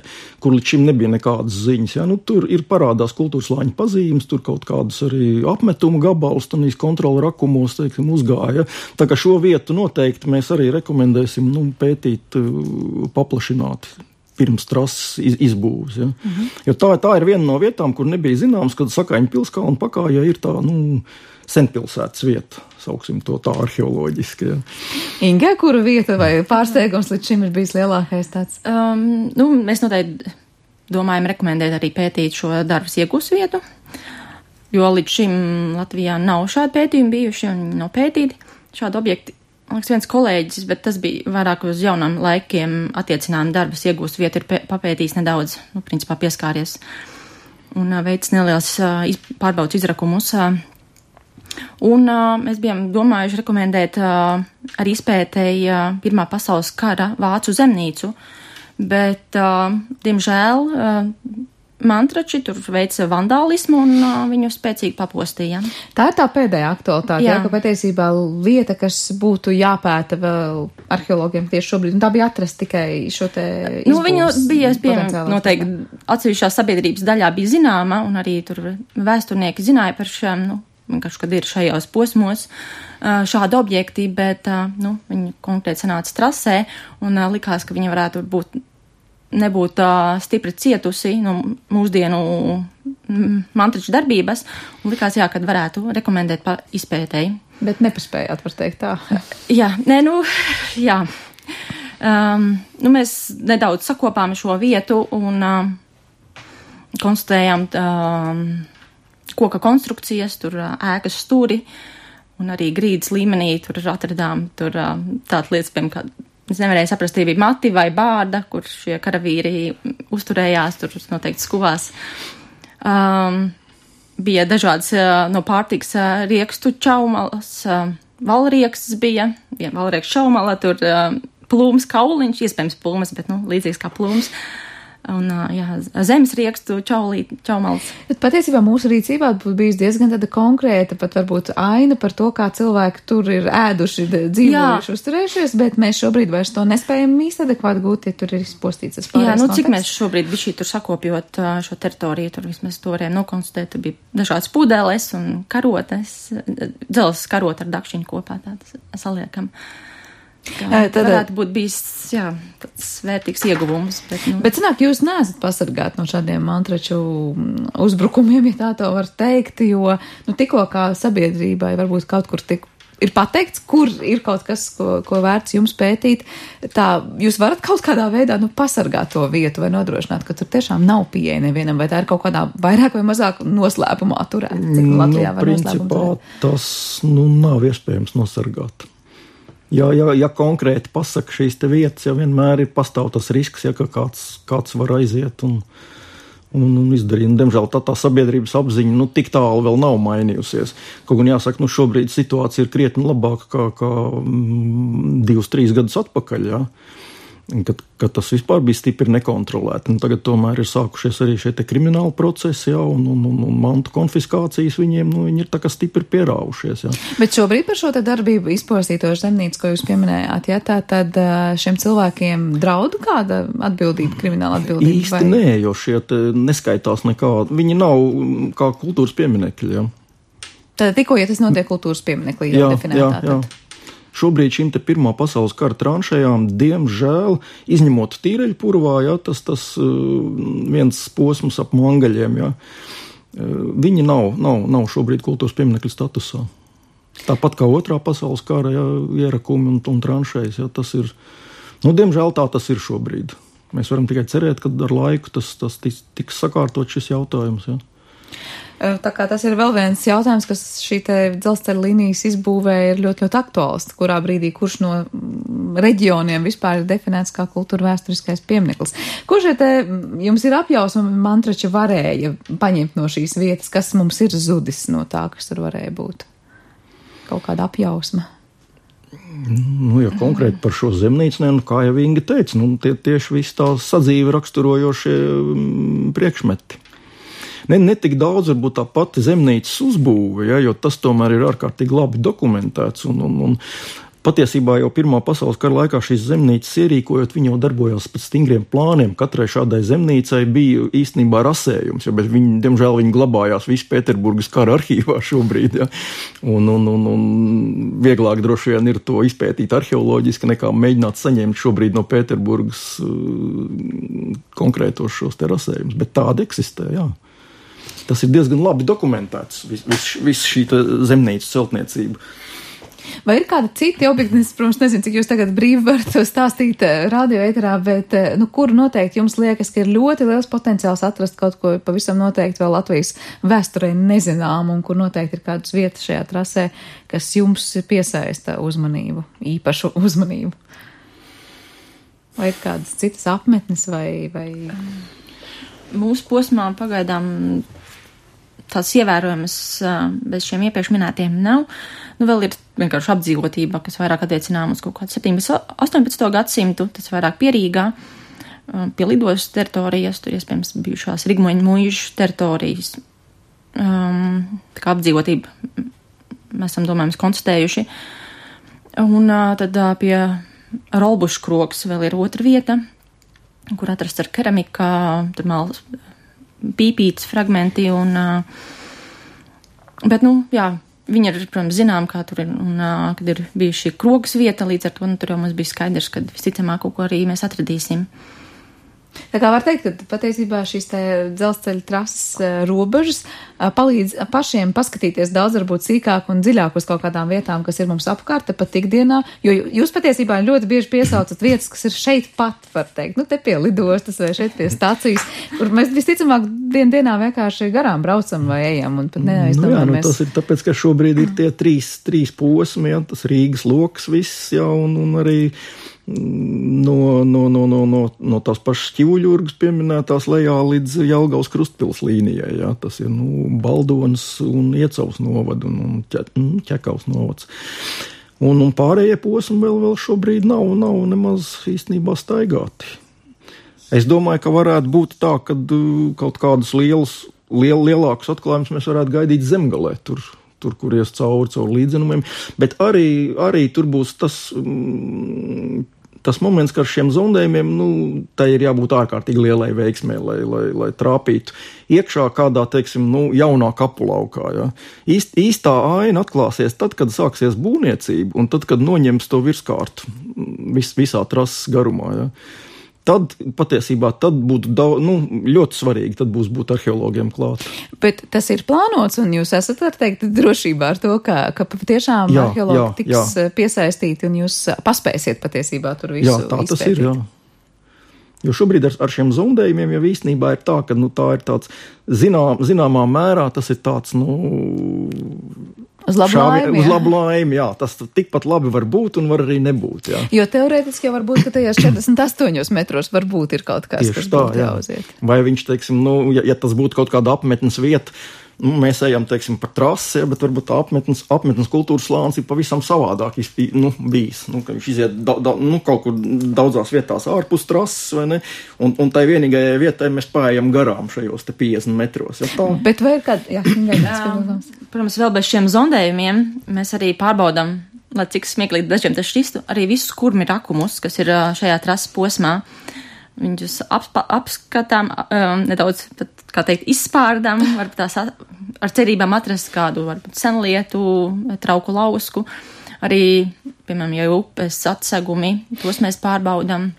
kur līdz šim nebija nekādas ziņas. Ja? Nu, tur ir parādās kultūras slāņu pazīmes, tur kaut kādas arī apmetuma gabalus, tanīs kontrola rakumos, teiksim, uzgāja. Tā kā šo vietu noteikti mēs arī rekomendēsim nu, pētīt uh, paplašināti pirms trases iz, izbūves. Ja? Mm-hmm. Jo tā, tā ir viena no vietām, kur nebija zināms, kad Sakaiņu pilskalna pakājā ir tā, nu, senpilsētas vieta, sauksim to tā arheoloģiski. Ja. Inga, kura vieta vai pārsteigums līdz šim ir bijis lielākais tāds? Um, nu, mēs noteikti domājam rekomendēt arī pētīt šo darbas iegūs vietu, jo līdz šim Latvijā nav šādi pētījumi bijuši un nav pētīti šādi objekti. Man liekas, viens kolēģis, bet tas bija vairāk uz jaunām laikiem attiecinām darbas iegūst vietu, ir pē- papētījis nedaudz, nu, principā pieskāries un uh, veids neliels uh, iz, pārbaudas izrakumus. Uh, Un uh, mēs bijām domājuši rekomendēt uh, ar izpētēji uh, Pirmā pasaules kara vācu zemnīcu, bet, uh, diemžēl, uh, mantrači tur veica vandālismu un uh, viņu spēcīgi papostīja. Tā ir tā pēdējā aktualitāte, jā. Jā, ka patiesībā lieta, kas būtu jāpēta vēl arheologiem tieši šobrīd, un tā bija atrast tikai šo te izbūves. Nu, viņu bija, piemēram, noteikti atsevišķā sabiedrības daļā bija zināma, un arī tur vēsturnieki zināja par šiem, nu, vienkārši, kad ir šajos posmos uh, šādi objekti, bet, uh, nu, viņi konkrēti sanāca trasē, un uh, likās, ka viņi varētu būt nebūt uh, stipri cietusi no mūsdienu mantraču darbības, un likās, jā, kad varētu rekomendēt par izpētēji. Bet nepaspējāt, var teikt tā. jā, nē, nu, jā. Um, nu, mēs nedaudz sakopām šo vietu un uh, konstatējām um, koka konstrukcijas, tur uh, ēkas stūri, un arī grīdas līmenī tur atradām tur uh, tādas lietas, piemēram, kā es nevarēju saprast, bija mati vai bārda, kur šie karavīri uzturējās, tur noteikti skuvās. Um, bija dažādas uh, no pārtiks uh, riekstu čaumalas, uh, valrieksts bija, bija valrieksts čaumala, tur uh, plūms kauliņš, iespējams plūmas, bet, nu, līdzīgs kā plūms. Un, jā, zemes riekstu čaulī, čaumals. Bet patiesībā mūsu rīcībā būtu bijis diezgan tāda konkrēta, pat varbūt aina par to, kā cilvēki tur ir ēduši, dzīvojuši, uzturējušies, bet mēs šobrīd vairs to nespējam īsti adekvāti gūt, ja tur ir izpostīts tas pārējais. Jā, nu, cik konteksts. Mēs šobrīd bišķī tur sakopjot šo teritoriju, tur vismaz to varējām nokonstatēt, tur bija dažādas pudeles un karotes, dzels karot ar dakšiņu kopā, tādas saliekam. Jā, tad varētu būt bijis, jā, tāds vērtīgs ieguvums. Bet, nu. Bet, sanāk, jūs neesat pasargāti no šādiem mantraču uzbrukumiem, ja tā to var teikt, jo, nu, tikko kā sabiedrībai varbūt kaut kur tik ir pateikts, kur ir kaut kas, ko, ko vērts jums pētīt, tā jūs varat kaut kādā veidā, nu, pasargāt to vietu vai nodrošināt, ka tur tiešām nav pieeja nevienam, vai tā ir kaut kādā vairāk vai mazāk noslēpumā turēt, cik Latvijā nu, var noslēpumu turēt? Tas, nu, nav iespējams nosargāt. Ja, ja, ja konkrēti pasaka šīs te vietas, ja vienmēr ir pastāv tas risks, ja ka kāds, kāds var aiziet un, un, un izdarīt. Un, diemžēl tā, tā sabiedrības apziņa, nu, tik tālu vēl nav mainījusies. Kaut gan jāsaka, nu, šobrīd situācija ir krietni labāka kā, kā mm, divus, trīs gadus atpakaļ, ja. Kad, kad tas vispār bija stipri nekontrolēti. Un tagad tomēr ir sākušies arī šie te krimināli procesi, jā, un, un, un, un mantu konfiskācijas viņiem, nu, viņi ir tā kā stipri pierāvušies, jā. Bet šobrīd par šo te darbību izpostītošu zemnīcu, ko jūs pieminējāt, jā, tā tad šiem cilvēkiem draudu kāda atbildība, krimināla atbildība? Īsti vai? Nē, jo šie te neskaitās nekādi. Viņi nav kā kultūras pieminekļi, jā. Tad tikko, ja tas notiek kultūras pieminekļi, jau definētā, jā, jā. tad... Šobrīd šim te Pirmā pasaules kara tranšējām, diemžēl, izņemot Tīreļpurvā, jā, tas, tas viens posms ap Mangaļiem, jā, viņi nav, nav, nav šobrīd kultūras pieminekļu statusā. Tāpat kā Otrā pasaules kara, jā, ierakumi un, un tranšējas, jā, tas ir, nu, diemžēl tā tas ir šobrīd. Mēs varam tikai cerēt, ka ar laiku tas, tas tiks, tiks sakārtot šis jautājums, jā. Tā kā tas ir vēl viens jautājums, kas šī te dzelzceļa līnijas izbūvē ir ļoti, ļoti aktuāls, kurā brīdī kurš no reģioniem vispār ir definēts kā kultūra vēsturiskais piemineklis. Kurš te jums ir apjausma mantrači varēja paņemt no šīs vietas, kas mums ir zudis no tā, kas tur varēja būt? Kaut kāda apjausma? Nu, ja konkrēti par šo zemnīcu, ne, nu, kā jau Inga teica, nu, tie tieši visi tā sadzīve raksturojošie priekšmeti. Ne, ne tik daudz varbūt tā pati zemnīcas uzbūve, ja, jo tas tomēr ir ārkārtīgi labi dokumentēts. Un, un, un patiesībā jau Pirmā pasaules kara laikā šīs zemnīcas ierīkojot, viņi jau darbojās pēc stingriem plāniem. Katrai šādai zemnīcai bija īstenībā rasējums, ja, bet viņi, diemžēl viņi glabājās visu Pēterburgas kara arhīvā šobrīd. Ja. Un, un, un, un vieglāk droši vien ir to izpētīt arheoloģiski, nekā mēģināt saņemt šobrīd no Pēterburgas uh, konkrētos šos te rasējumus. Bet tādi eksistē, jā. Tas ir diezgan labi dokumentēts, viss vis, vis šī zemnīcas celtniecība. Vai ir kādi citi objekti, es, protams, nezinu, cik jūs tagad brīvi varat stāstīt radio ēterā, bet, nu, kur noteikti jums liekas, ka ir ļoti liels potenciāls atrast kaut ko pavisam noteikti vēl Latvijas vēsturē nezinām, un kur noteikti ir kādas vietas šajā trasē, kas jums piesaista uzmanību, īpašu uzmanību? Vai ir kādas citas apmetnes vai... vai... Mūsu posmā pagaidām tās ievērojamas bez šiem iepriekš minētiem nav. Nu, vēl ir vienkārši apdzīvotība, kas vairāk attiecinām uz kaut kādu septiņpadsmito, astoņpadsmito gadsimtu, tas vairāk pierīgā, pie lidostas teritorijas, tur iespējams bijušās Rigmoņu muižu teritorijas. Um, tā kā apdzīvotība mēs esam, domājams, konstatējuši. Un uh, tad uh, pie Rolbušu krogs vēl ir otra vieta, kur atrasts ar keramikā, tur malas pīpītas fragmenti, un, bet, nu, jā, viņi ir, protams, zinām, kā tur ir, un, kad ir bijuši šī krogas vieta, līdz ar to, nu, tur jau mums bija skaidrs, kad visticamāk kaut ko arī mēs atradīsim. Tā kā var teikt, ka patiesībā šīs te dzelzceļa trases robežas palīdz pašiem paskatīties daudz varbūt sīkāk un dziļāk uz kaut kādām vietām, kas ir mums apkārt, pat ikdienā, jo jūs patiesībā ļoti bieži piesaucat vietas, kas ir šeit pat, var teikt, nu te pie lidostas vai šeit pie stacijas, kur mēs visticamāk dien dienā vienkārši garām braucam vai ejam un pat neaizdomājamies. Nu jā, nu tas ir tāpēc, ka šobrīd ir tie trīs, trīs posmi, ja, tas Rīgas loks viss, jā, un, un arī No, no, no, no, no, no tās pašas Ķivuļurgas pieminētās lejā līdz Jelgavas Krustpils līnijai. Jā, tas ir nu, Baldonas un Iecavas novada un, un ķe, Ķekavas novads. Un, un pārējie posmi vēl, vēl šobrīd nav, nav nemaz īstenībā staigāti. Es domāju, ka varētu būt tā, ka kaut kādus lielus, liel, lielākus atklājumus mēs varētu gaidīt Zemgalē tur. Tur, kur ies cauri, cauri līdzenumiem, bet arī, arī tur būs tas, tas moments, ka ar šiem zondējumiem, nu, tai ir jābūt ārkārtīgi lielai veiksmē, lai, lai, lai trāpītu iekšā kādā, teiksim, nu, jaunā kapulaukā, ja. Īst, īstā aina atklāsies tad, kad sāksies būvniecība, un tad, kad noņems to virskārtu vis, visā trases garumā, ja. Tad patiesībā tad būtu daudz, nu, ļoti svarīgi, tad būs būt arheologiem klāt. Bet tas ir plānots, un jūs esat, var teikt, drošībā ar to, ka, ka patiešām jā, arheologi jā, tiks jā. piesaistīti, un jūs paspēsiet patiesībā tur visu izpētīt. Jā, tā tas izpētīt. ir, jā. Jo šobrīd ar, ar šiem zondējumiem jau īstenībā ir tā, ka, nu, tā ir tāds, zinām, zināmā mērā tas ir tāds, nu... Uz labu laimi, Uz labu laimi, jā. Tas tikpat labi var būt un var arī nebūt, jā. Jo teorētiski jau var būt, ka tajos četrdesmit astoņos metros varbūt ir kaut kas, Tieši kas tā, būtu jā. jāuziet. Vai viņš, teiksim, nu, ja, ja tas būtu kaut kāda apmetnes vieta, nu, mēs ejam, teiksim, par trasi, bet varbūt tā apmetnes, apmetnes kultūras slānis ir pavisam savādāk, nu, bijis. Nu, ka viņš iziet da, da, nu, kaut kur daudzās vietās ārpus trases, vai ne? Un, un tai vienīgajai vietai mēs paējam garām šajos te piecdesmit metros. Ja, tā? Bet vai ir kāda, jā, jā, protams, vēl bez šiem zondējumiem mēs arī pārbaudam, lai cik smieklīgi dažiem tas šķistu, arī visus kurmi rakumus, kas ir šajā trases posmā. Viņus apspa, apskatām, um, nedaudz, pat, kā teikt, izspārdām, varbūt tās at, ar cerībām atrast kādu, varbūt senlietu, trauku lausku. Arī, piemēram, ja upes atsegumi, tos mēs pārbaudām.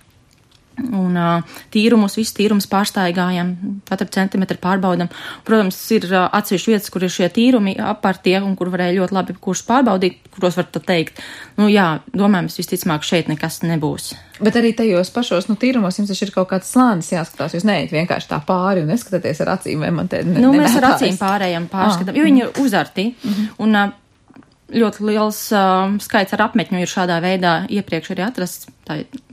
Un uh, tīrumus, visu tīrumus pārstaigājam, katru centimetru pārbaudam. Protams, ir uh, atsevišķi vietas, kur ir šie tīrumi apartie un kur varēja ļoti labi kurus pārbaudīt, kuros var tad teikt, nu jā, domājams, visticamāk šeit nekas nebūs. Bet arī tajos pašos, nu, tīrumos jums taču ir kaut kāds slānis jāskatās, jūs neiet vienkārši tā pāri un neskatāties ar acīm, vai man te ne, Nu, mēs ar acīm pārējām pārskatām, ah. jo viņi ir uzarti, mm-hmm. un uh, ļoti liels uh, skaits ar apmetņu ir šādā veidā iepriekš arī atrasts. Tā ir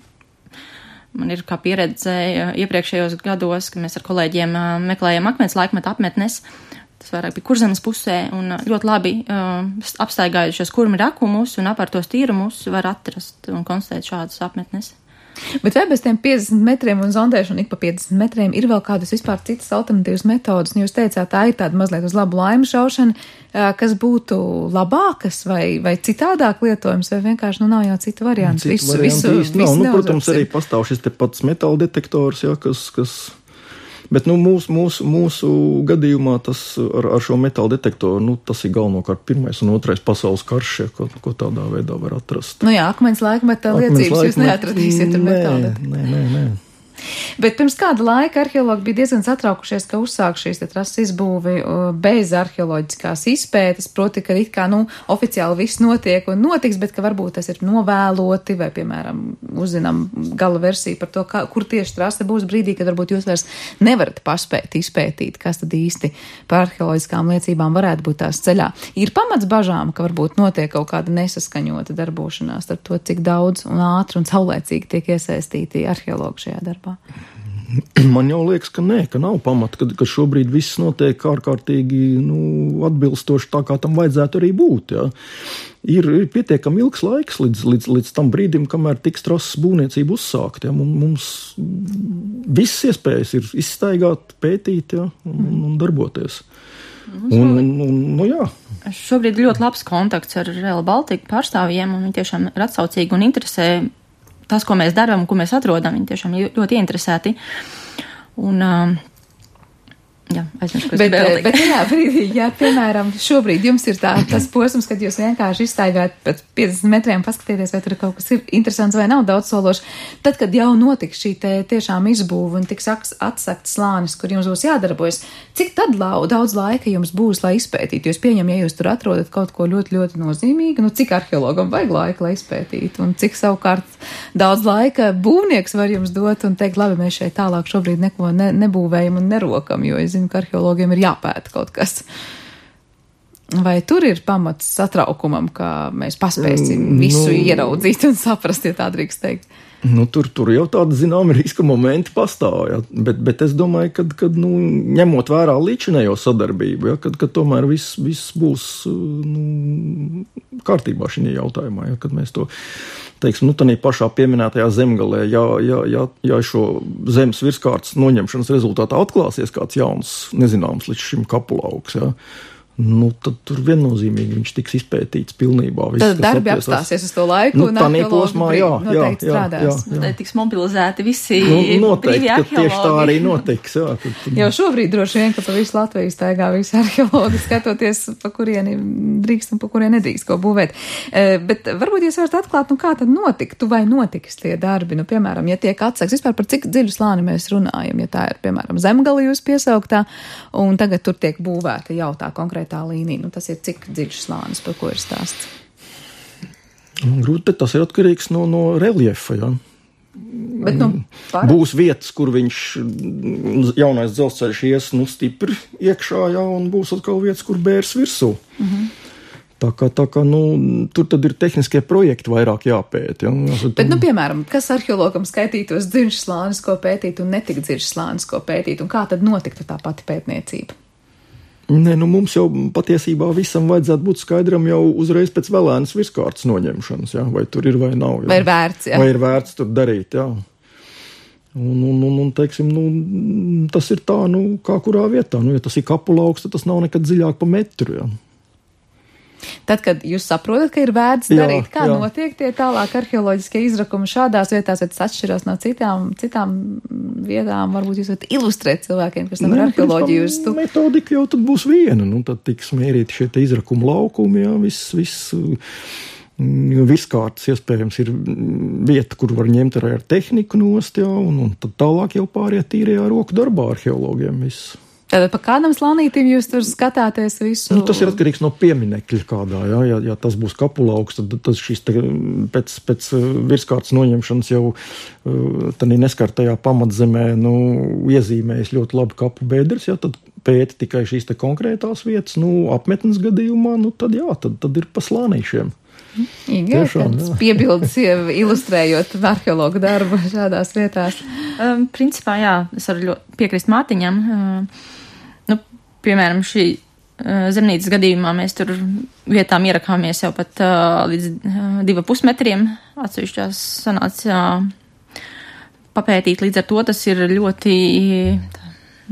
Man ir kā pieredze iepriekšējos gados, kad mēs ar kolēģiem meklējam akmens laikmeta apmetnes, tas vairāk bija Kurzemes pusē, un ļoti labi uh, apstaigājušies kurmi rakumus un apārtos tīrumus var atrast un konstatēt šādas apmetnes. Bet vai bez tiem piecdesmit metriem un zondēšanu ik pa piecdesmit metriem ir vēl kādas vispār citas alternatīvas metodas? Un jūs teicāt, tā ir tāda mazliet uz labu laimu šaušana, kas būtu labākas vai, vai citādāk lietojums, vai vienkārši nu nav jau citu variantu? Citu visu, variantu visu, īsti nav. visu Nu, protams, arī pastāv šis te pats metāla detektors, jā, kas... kas... Bet nu, mūsu, mūsu, mūsu gadījumā tas ar, ar šo metāla detektoru, nu, tas ir galvenokārt pirmais un otrais pasaules karš, ja, ko, ko tādā veidā var atrast. Nu jā, akmens laikmeta liecības jūs neatradīsiet ar metāla detektoru. Nē, nē, nē. Bet pirms kāda laika arheologi bija diezgan satraukušies, ka uzsāk šīs te trases izbūvi bez arheoloģiskās izpētes, proti, ka it kā, nu, oficiāli viss notiek un notiks, bet ka varbūt tas ir novēloti vai, piemēram, uzzinām gala versiju par to, kā, kur tieši trase būs brīdī, kad varbūt jūs vairs nevarat paspēt izpētīt, kas tad īsti par arheoloģiskām liecībām varētu būt tās ceļā. Ir pamats bažām, ka varbūt notiek kaut kāda nesaskaņota darbošanās ar to, cik daudz un ātri un saulēcīgi tiek iesaistīti arheologi šajā darbā. Man jau liekas, ka nē, ka nav pamata, ka, ka šobrīd viss notiek ārkārtīgi nu, atbilstoši tā, kā tam vajadzētu arī būt. Jā. Ir, ir pietiekami ilgs laiks līdz, līdz, līdz tam brīdim, kamēr tiks trasas būvniecība uzsākt. Jā. Mums visas iespējas ir izstaigāt, pētīt jā, un, un darboties. Un, un, un, nu, jā. Šobrīd ļoti labs kontakts ar Rail Baltica pārstāvjiem, un viņi tiešām ir atsaucīgi un interesē tas, ko mēs darām un ko mēs atrodam. Viņi tiešām ļoti ieinteresēti. Un, jā, aizmiršu, ko es gribēju teikt. Bet jā, brīdī, jā, piemēram, šobrīd jums ir tā, tas posms, kad jūs vienkārši izstaigājat pēc piecdesmit metriem, paskatieties, vai tur kaut kas ir interesants vai nav daudz sološi. Tad, kad jau notiks šī te tiešām izbūve un tiks atsakt slānis, kur jums būs jādarbojas, cik tad lau, daudz laika jums būs, lai izpētītu? Jūs pieņem, ja jūs tur atrodat kaut ko ļoti, ļoti nozīmīgu, nu cik arheologam vajag laika, lai izpētītu, un cik savukārt daudz laika būvnieks var jums dot un teikt, labi, mēs šeit tālāk šobrīd neko ne, nebūvējam un nerokam, jo es zinu, ka arheologiem ir jāpēta kaut kas. Vai tur ir pamats satraukumam, ka mēs paspēsim visu nu, ieraudzīt un saprast, ja tā drīkst teikt? Nu, tur, tur jau tāda, zinām, riska momenti pastāv, ja? bet, bet es domāju, kad, kad nu, ņemot vērā līdzinējo sadarbību, ja? kad, kad tomēr viss, viss būs nu, kārtībā šī jautājumā, ja? Kad mēs to, teiksim, nu, tādā pašā pieminētajā zemgalē, ja, ja, ja, ja šo zemes virskārtas noņemšanas rezultātā atklāsies kāds jauns, nezināms līdz šim kapulauks, ja? Nu, tad tur viennozīmīgi viņš tiks izpētīts pilnībā. Viss, tad darbi apstāsies uz to laiku nu, un arheologi jā, jā, jā, strādās. Jā, jā. Tad tiks mobilizēti visi nu, noteikti, brīvi arheologi. Tieši tā arī notiks. Jā, tad, tad... Jau šobrīd droši vien, ka pa visu Latviju staigā visi arheologi, skatoties, pa kurieni drīkst un pa kurieni nedrīkst ko būvēt. E, bet varbūt jūs varat atklāt, nu kā tad notiktu vai notiks tie darbi? Nu, piemēram, ja tiek atsaks, vispār par cik dziļu slāni mēs runājam, ja tā ir, piemēram, zemgali jūs piesauktā, un tagad tur tiek būvēta jau tā konkrēta tā līnija. Nu, tas ir cik dziļš slānis, par ko ir stāsts? Grūti, tas ir atkarīgs no, no reliefa, jā. Bet, nu, par... Būs vietas, kur viņš jaunais dzelzceļš ies, nu, stipri iekšā, jā, un būs atkal vietas, kur bērs virsū. Mhm. Tā kā, tā kā, nu, tur tad ir tehniskie projekti vairāk jāpēt, jā. Bet, nu, piemēram, kas arheologam skaitītos dziļš slānis, ko pētīt, un netik dziļš slānis, ko pētīt, un kā tad notiktu tā pati pētniecība? Nē, nu mums jau patiesībā visam vajadzētu būt skaidram jau uzreiz pēc vēlēnas virskārtas noņemšanas, jā, vai tur ir vai nav. Jā. Vai ir vērts, jā. Vai ir vērts tur darīt, jā. Un, un, un, un teiksim, nu, tas ir tā, nu, kā kurā vietā. Nu, ja tas ir kapulauks, tad tas nav nekad dziļāk pa metru, jā. Tad, kad jūs saprotat, ka ir vērts jā, darīt, kā jā. Notiek tie tālāk arheoloģiskie izrakumi šādās vietās, vai tas atšķirās no citām, citām vietām, varbūt jūs varat ilustrēt cilvēkiem, kas tam ir arheoloģiju uz tu. Metodika jau tad būs viena, nu tad tiks mērīti šie izrakumi laukumi, jā, viss, viss, viskārtas iespējams ir vieta, kur var ņemt arī ar tehniku nost, jā, un, un tad tālāk jau pāriet tīrajā roku darbā arheologiem viss. Tātad pa kādam slānītim jūs tur skatāties visu? Nu, tas ir atkarīgs no pieminekļa kādā, jā. Ja, ja tas būs kapulauks, tad tas šis te, pēc, pēc virskārtas noņemšanas jau tad neskartajā pamatzemē, nu, iezīmējas ļoti labi kapu bedres, jā, tad pēta tikai šīs te konkrētās vietas, nu, apmetnes gadījumā, nu, tad jā, tad, tad ir pa slānīšiem. Igai, tāds piebildes ilustrējot arheologu darbu šādās vietās. Um, principā, jā, es varu piekrist Mātiņam. Uh, nu, piemēram, šī uh, zemnīcas gadījumā mēs tur vietām ierakāmies jau pat uh, līdz uh, diva pusmetriem. Atsevišķās sanāca uh, papētīt, līdz ar to tas ir ļoti...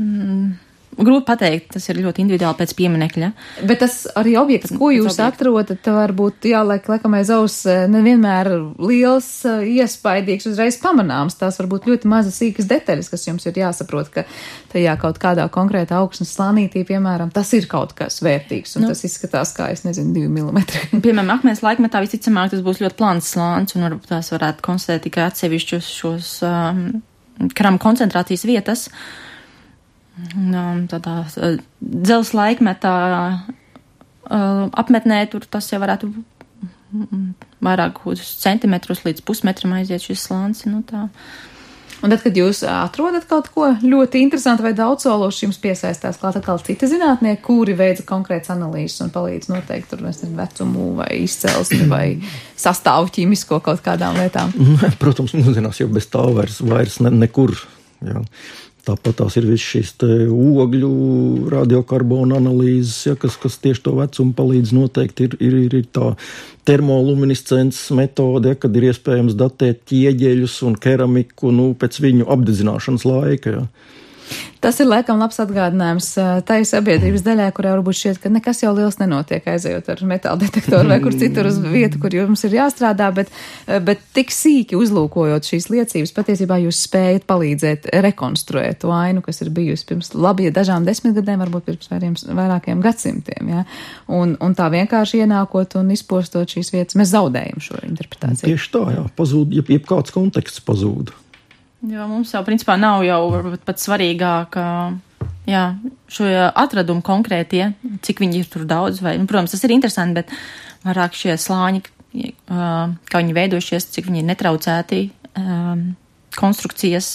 Mm, grūti pateikt, tas ir ļoti individuāli pēc pieminekļa. Bet tas arī objekts, ko jūs atrodat, varbūt jāliek laikam aiz aus nevienmēr liels, iespaidīgs, uzreiz pamanāms. Tās varbūt ļoti mazas sīkas detaļas, kas jums ir jāsaprot, ka tajā kaut kādā konkrētā augsnes slānītī, piemēram, tas ir kaut kas vērtīgs, un nu, tas izskatās kā, es nezinu, divi milimetri. Piemēram, akmens laikmetā visticamāk tas būs ļoti plāns slānis, un varbūt tās varētu konstatēt tikai atsevišķus šos um, krama koncentrācijas vietas. Tādā dzels laikmetā apmetnē tur tas jau varētu vairāk centimetrus līdz pusmetram aiziet šis slānis. Nu tā. Un tad, kad jūs atrodat kaut ko ļoti interesantu vai daudzsološu, jums piesaistās klāt atkal citi zinātnieki, kuri veica konkrētas analīzes un palīdz noteikt tur, mēs nezinu, vecumu vai izcelsmi vai sastāvu ķīmisko kaut kādām lietām. Protams, mūsdienās jau bez tā vairs, vairs ne, nekur Jā. Tāpat tās ir visas šīs ogļu radiokarbonu analīzes, ja, kas, kas tieši to vecumu palīdz noteikt. Ir, ir, ir, ir tā termoluminiscences metode, ja, kad ir iespējams datēt ķieģeļus un keramiku nu, pēc viņu apdedzināšanas laika. Ja. Tas ir laikam labs atgādinājums tai sabiedrības daļai, kurā varbūt šķiet, ka nekas jau liels nenotiek aizejot ar metāla detektoru vai kur citur uz vietu, kur jums ir jāstrādā, bet, bet tik sīki uzlūkojot šīs liecības, patiesībā jūs spējat palīdzēt rekonstruēt to ainu, kas ir bijusi pirms labi dažām desmitgadēm, varbūt pirms vairiem, vairākiem gadsimtiem. Ja? Un, un tā vienkārši ienākot un izpostot šīs vietas, mēs zaudējam šo interpretāciju. Tieši tā, jā, pazūd, jeb, jeb kāds konteksts pazūd. Jo mums jau, principā, nav jau pat svarīgāk, jā, šo atradumu konkrētie, cik viņi ir tur daudz, vai, nu, protams, tas ir interesanti, bet vairāk šie slāņi, kā viņi veidojušies, cik viņi ir netraucēti, konstrukcijas,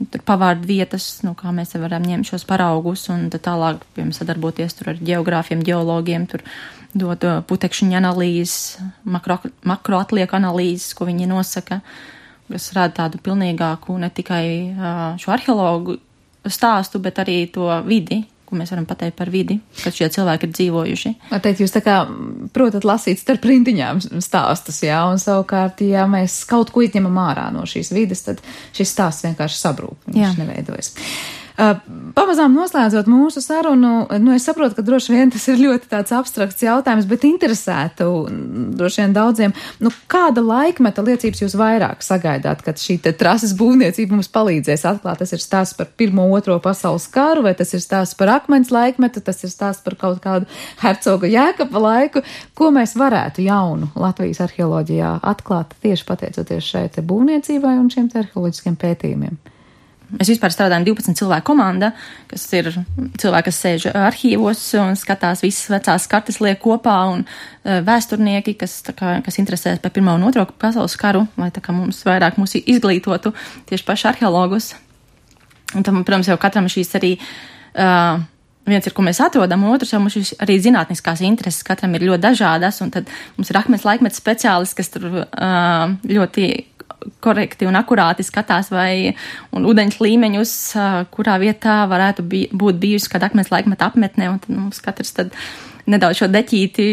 tur pavārdu vietas, nu, kā mēs varam ņemt šos paraugus, un tad tālāk, piemēram, sadarboties tur ar geogrāfiem, geologiem, tur dot putekšņu analīzes, makro, makroatlieku analīzes, ko viņi nosaka, kas rāda tādu pilnīgāku ne tikai šo arheologu stāstu, bet arī to vidi, ko mēs varam pateikt par vidi, kad šie cilvēki ir dzīvojuši. Var teikt, jūs tā kā protat lasīt starp rindiņām stāstus, jā, un savukārt, ja mēs kaut ko izņemam ārā no šīs vides, tad šis stāsts vienkārši sabrūk, viņš jā. Neveidojas. Uh, pamazām noslēdzot mūsu sarunu, nu es saprotu, ka droši vien tas ir ļoti tāds abstrakts jautājums, bet interesētu droši vien daudziem, nu kāda laikmeta liecības jūs vairāk sagaidāt, kad šī te trases būvniecība mums palīdzēs atklāt? Tas ir stāsts par pirmo, otro pasaules karu, vai tas ir stāsts par akmens laikmetu, tas ir stāsts par kaut kādu hercoga Jēkaba laiku, ko mēs varētu jaunu Latvijas arheoloģijā atklāt tieši pateicoties šai te būvniecībai un šiem te arheoloģiskiem pētījumiem? Mēs vispār strādājam divpadsmit cilvēku komanda, kas ir cilvēki, kas sēž arhīvos un skatās visas vecās kartes liek kopā, un vēsturnieki, kas, tā kā, kas interesēs par pirmo un otro pasaules karu, lai tā kā mums vairāk mūs izglītotu tieši paši arheologus. Un tam, protams, jau katram šīs arī, uh, viens ir, ko mēs atrodam, un otrs jau mums šīs arī zinātniskās intereses, katram ir ļoti dažādas, un tad mums ir akmens laikmeta speciālists, kas tur uh, ļoti korekti un akurāti skatās vai un ūdeņš līmeņus, kurā vietā varētu bi, būt bijusi kāda akmens laikmeta apmetne, un tad mums katrs tad nedaudz šo deķīti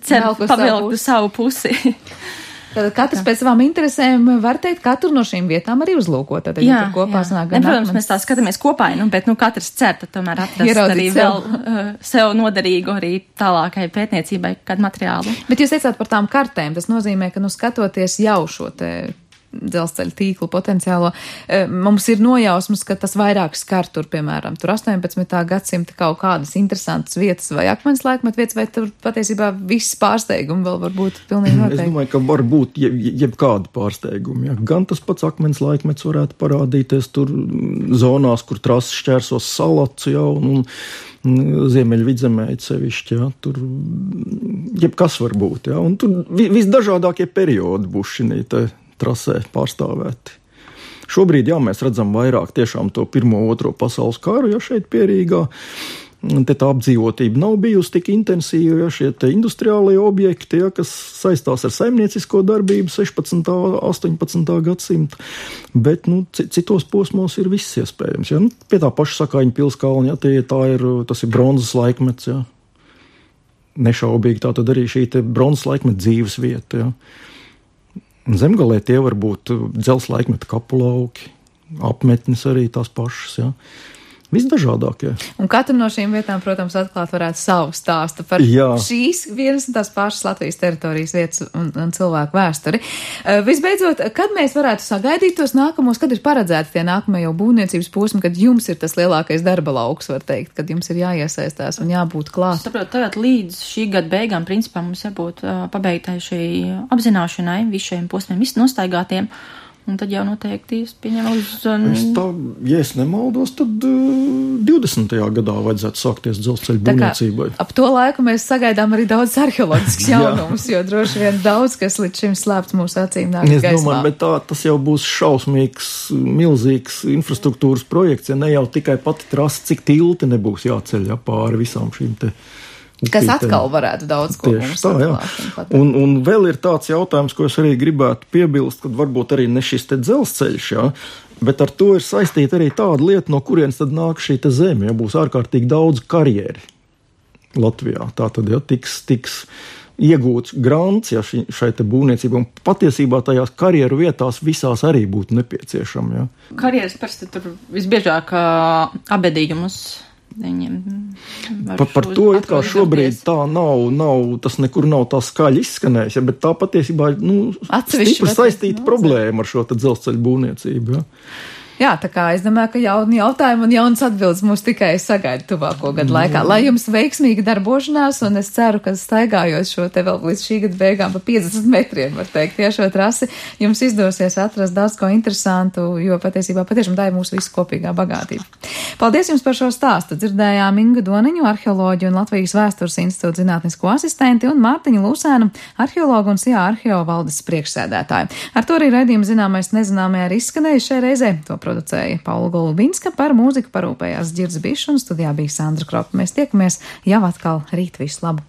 cer pavilkt uz savu pusi. Tad katrs Jā. Pēc savām interesēm var teikt, katru no šīm vietām arī uzlūkot. Tad jā, tur kopā sanāk gan ne, protams, akmens... mēs tā skatāmies kopā, nu, bet nu, katrs cer, tad tomēr atrast Ieraudzīt arī sev. vēl uh, sev noderīgu arī tālākai pētniecībai kādu materiālu. Bet jūs teicāt par tām kartēm, tas nozīmē, ka nu skatoties jau šo te dzelzceļa tīklu potenciālo, mums ir nojausmas, ka tas vairāk skar tur, piemēram, tur astoņpadsmitā gadsimta kaut kādas interesantas vietas vai akmens laikmet vietas, vai tur patiesībā viss pārsteigumi vēl var būt pilnīgi noteikti? Es domāju, ka var būt jeb, jebkādi pārsteigumi. Ja. Gan tas pats akmens laikmets varētu parādīties tur zonās, kur trases šķērsos Salacu jau, un, un Ziemeļvidzemē sevišķi, ja. Tur jebkas var būt, ja. Un tur visdažādākie periodi būs šinī te trasē pārstāvēti. Šobrīd, jā, mēs redzam vairāk tiešām to pirmo, otro pasaules karu, ja šeit Pierīgā. Te tā apdzīvotība nav bijusi tik intensīva, ja šie te industriālie objekti, ja, kas saistās ar saimniecisko darbību sešpadsmitā, astoņpadsmitā gadsimta, bet, nu, citos posmos ir viss iespējams, ja. Nu, pie tā paša Sakaiņu pilskalni, ja, tie, tā ir, tas ir bronzas laikmets, ja. Nešaubīgi tā tad arī šī te bronzas laikmeta dzīves vieta, ja. Zemgalē tie var būt dzels laikmeta kapulauki, apmetnes arī tās pašas, jā. Visdažādākie. Un katra no šīm vietām, protams, atklāt varētu savu stāstu par jā. Šīs vienas un tās pašas Latvijas teritorijas vietas un, un cilvēku vēsturi. Uh, visbeidzot, kad mēs varētu sagaidīt tos nākamos, kad ir paredzēti tie nākamie jau būvniecības posmi, kad jums ir tas lielākais darba lauks, var teikt, kad jums ir jāiesaistās un jābūt klāt? Saprot, tagad līdz šī gada beigām, principā, mums jābūt uh, pabeigtai šī apzināšanai, visiem posmiem, visi nostaigātiem. Un tad jau noteikti pieņem uz... Un... Es tā, ja es nemaldos, tad uh, divdesmitajā gadā vajadzētu sākties dzelzceļa būvniecībai. Ap to laiku mēs sagaidām arī daudz arheoloģisks jaunumus, jo droši vien daudz, kas līdz šim slēpts mūsu acīm nāk gaismā. Es domāju, bet tā, tas jau būs šausmīgs, milzīgs infrastruktūras projekts, ja ne jau tikai pati trasa, cik tilti nebūs jāceļ ja, pāri visām šīm te Kas atkal varētu daudz ko Tieši mums tā, jā. Un, un vēl ir tāds jautājums, ko es arī gribētu piebilst, kad varbūt arī ne šis te dzelzceļš, jā, bet ar to ir saistīta arī tāda lieta, no kurienes tad nāk šī te zeme, ja būs ārkārtīgi daudz karjeri Latvijā. Tā tad, ja, tiks, tiks iegūts grants, ja ši, šai te būvniecībai, un patiesībā tajās karjeru vietās visās arī būtu nepieciešama, ja. Karjeras parasti tur visbiežāk uh, abedījumus viņiem. Pa, par to it kā šobrīd tā nav, nav, tas nekur nav tā skaļi izskanējis, ja, bet tā patiesībā, nu, stipri saistīta problēma ar šo te dzelzceļu būvniecību, ja. Jā, tā kā es domāju, ka jauni jautājumi un jaunas atbildes mūs tikai sagaida tuvāko gadu laikā. Lai jums veiksmīga darbošanās, un es ceru, ka staigājot šo te vēl līdz šī gada beigām pa piecdesmit metriem, var teikt, tiešo trasi, jums izdosies atrast daudz ko interesantu, jo patiesībā patiešām tā ir mūsu visu kopīgā bagātība. Paldies jums par šo stāstu. Dzirdējām Ingu Doniņu, arheoloģiju un Latvijas vēstures institūta zinātnisko asistenti, un Mārtiņu Lūsēnu, arheologu un S I A arheo valdes priekšsēdētāju. Ar to arī raidījuma zināmais nezināmajā ir izskanējis šai reizē. To producēja Paula Golubinska, par mūziku parūpējās Dzirds Bišs un studijā bija Sandra Kropa. Mēs tiekamies jau atkal rīt, visu labu!